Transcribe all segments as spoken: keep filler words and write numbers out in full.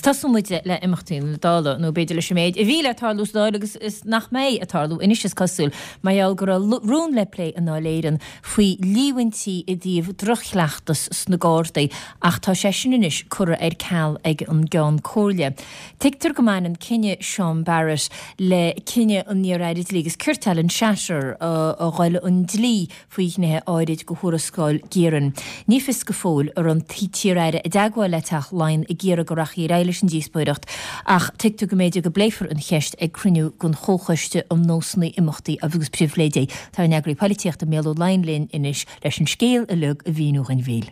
Tosóidh muid le imeachtaí na Dála, nó b'fhéidir leis an méid a bhí le tarlú sa Dáil agus is nach mbeidh ag tarlú anois is cosúil, mar gheall go raibh rún le plé i nDáil Éireann faoi líomhaintí i dtaobh drochchleachtas sna Gardaí ach tá sé sin anois curtha ar ceal ag an gCeann Comhairle. Tuigtear go mbaineann cinneadh Sean Barrett le cinneadh an iar-aire dlí agus cirt Alan Shatter a dhul chun dlí faoi ghnéithe áirid de thuarascáil Geiran. Ní fios go fóill an raibh an t-iar-aire i dteagmháil le Teach Laighean ag iarraidh go rachfaí ar aghaidh leis an díospóireacht ach tuigtear go mb'fhéidir go bpléifear an cheist ag cruinniú den Chomhchoiste um Nósanna Imeachta agus Pribhléidí. Tá ár n-eagraí polaitíochta Mícheál Ó Laighin linn anois leis an scéal uilig a mhíniú dhúinn, a Mhíchíl.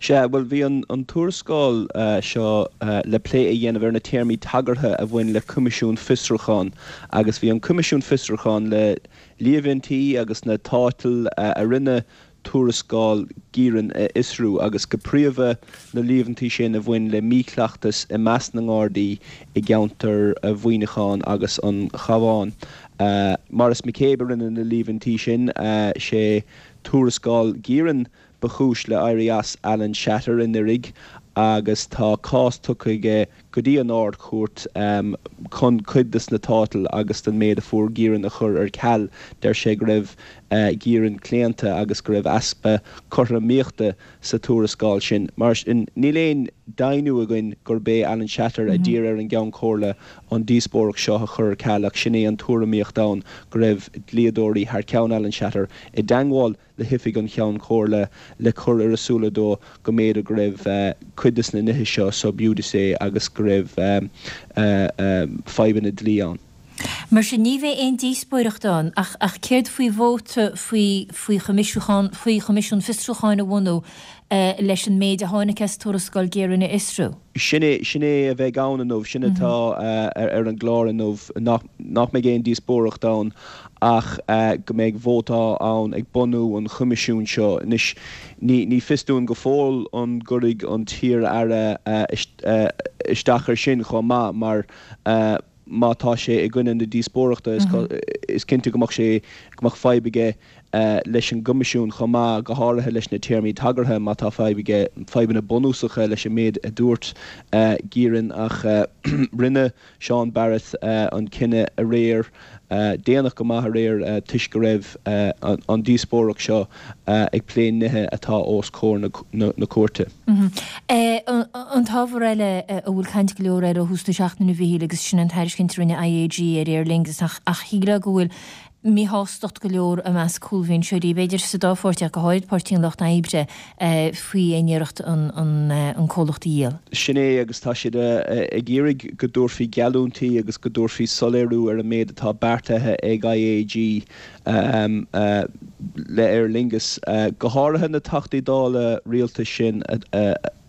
Sea, bhuel, bhí an tuarascáil seo le plé a dhéanamh ar na téarmaí tagartha a bhain le Coimisiún Fiosrúcháin agus bhí an Coimisiún Fiosrúcháin le líomhaintí agus na tátail a rinne tuarascáil Geiran a fhiosrú agus go príomha na líomhaintí sin a bhain le míchleachtas i measc na nGardaí i gceantar Mhuineacháin agus an Chabháin. Maurice McCabe a rinne na líomhaintí sin, sé tuarascáil Geiran ba chúis le éirí as Alan Shatter anuraidh agus tá cás tugtha aige go dtí an Ard-Chúirt chun cuid de na tátail agus den méid a fuair Geiran a chur ar ceal. Deir sé go raibh Geiran claonta agus go raibh easpa cothromaíochta sa tuarascáil sin. Mar sin, níl aon deimhniú againn gurb é Alan Shatter a d'iarr ar an gCeann Comhairle an díospóireacht seo a chur ar ceal ach sin é an tuairimíocht ann go raibh dlíodóirí thar ceann Alan Shatter i dteagmháil le hoifig an Cheann Comhairle le cur ar a súile dó go mb'fhéidir go raibh cuid de na nithe seo sub judice agus go raibh fadhbanna dlí ann. Mar sin ní bheidh aon díospóireacht ann ach ach céard faoi vóta faoi faoi choimisiúchán faoi choimisiún fiosrúcháin a bhunú leis an méid a tháinig as tuarascáil Geiran a fhiosrú? Sin é sin é a bheidh ann inniu, sin atá ar an gclár inniu nach nach mbeidh aon díospóireacht ann ach go mbeidh vóta ann ag bunú an choimisiúin seo. Anois ní ní fios dúinn go fóill an gcuirfidh an t-iar-aire isteach ar sin chomh maith mar má tá sé i gcoinne na díospóireachta is cinnte go mbeadh sé go mbeadh fadhb aige leis an gcoimisiún chomh maith go háirithe leis na téarmaí tagartha má tá fadhb aige fadhbanna bunúsacha leis an méid a dúirt Geiran ach rinne Sean Barrett an cinneadh aréir déanach go maith aréir toisc go raibh an díospóireacht seo ag plé nithe atá os comhair na cúirte. An t-ábhar eile a bhfuil caint go leor air ó thús na seachtaine a Mhíchíl agus sin an tairiscint a rinne IAG ar Aer Lingus ach ach shílfeá go bhfuil míshástacht go leor i measc cúlbhinseoirí, b'fhéidir sa dá pháirtí ach go háirid Páirtí an Lucht Oibre faoi aon iarracht an an comhlacht a dhíol. Sin é agus tá siad ag iarraidh go dtabharfaí geallúintí agus go dtabharfaí soiléiriú ar an méid atá beartaithe ag IAG le Aer Lingus, go háirithe na Teachtaí Dála rialtais sin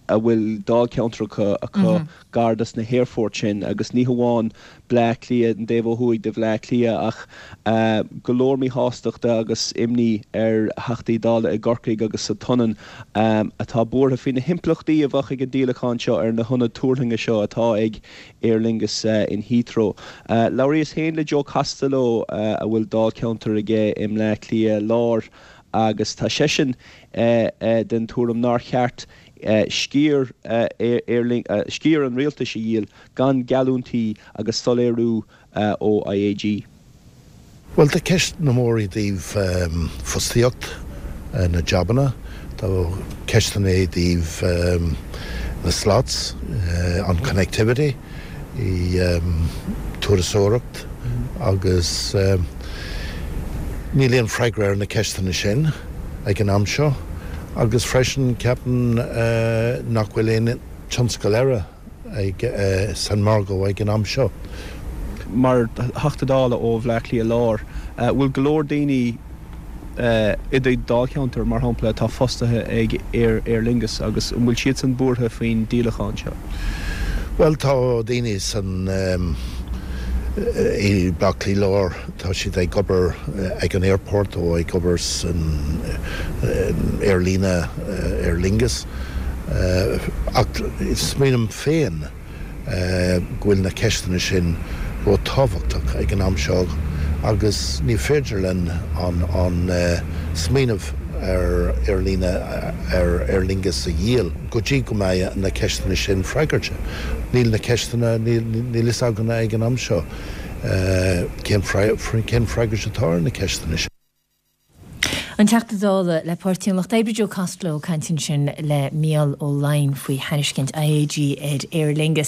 a bhfuil dáilcheantracha acu gar dos na haerfoirt sin agus ní hamháin Bleá Cliath an taobh ó thuaidh de Bhleá Cliath ach go leor míshástachta agus imní ar Theachtaí Dála i gCorcaigh agus sa tSionainn atá buartha faoi na himpleachtaí a bheadh ag an díolachán seo ar na hionaid tuairlinge seo atá ag Aer Lingus in Heathrow. Labhraíos féin le Joe Costello a bhfuil dáilcheantar aige i mBleá Cliath Láir agus tá seisean den tuairim nár cheart sciar sciar an rialtais a dhíol gan geallúintí agus soiléiriú ó IAG. Well tá ceisteanna móra i dtaobh fostaíocht na jabanna, tá ceisteanna i dtaobh na slots, an connectivity, i turasóireacht agus níl aon freagra ar na ceisteanna sin ag an am seo agus freisin ceapaim nach bhfuil aon tionscal eile ag san margadh ag an am seo. Mar Theachta Dála ó Bhleá Cliath Láir, bhfuil go leor daoine i do dháilcheantar mar shampla atá fostaithe ag Aer Aer Lingus agus an bhfuil siad san buartha faoin díolachán seo? Well tá daoine san i Bleá Cliath Láir tá siad ag obair ag an airport ó ag obair san aerlíne Aer Lingus ach smaoiním féin go bhfuil na ceisteanna sin ró-tábhachtach ag an am seo agus ní féidir linn an an smaoineamh ar aerlíne ar Aer Lingus a dhíol go dtí go mbeidh na ceisteanna sin freagartha. Níl na ceisteanna níl fhios againn ag an am seo cén cén freagairt atá ar na ceisteanna sin. An Teachta Dála le Páirtí an Lucht Oibre Joe Costello ag caint ansin le Mícheál Ó Laighin faoi thairiscint IAG ar Aer Lingus.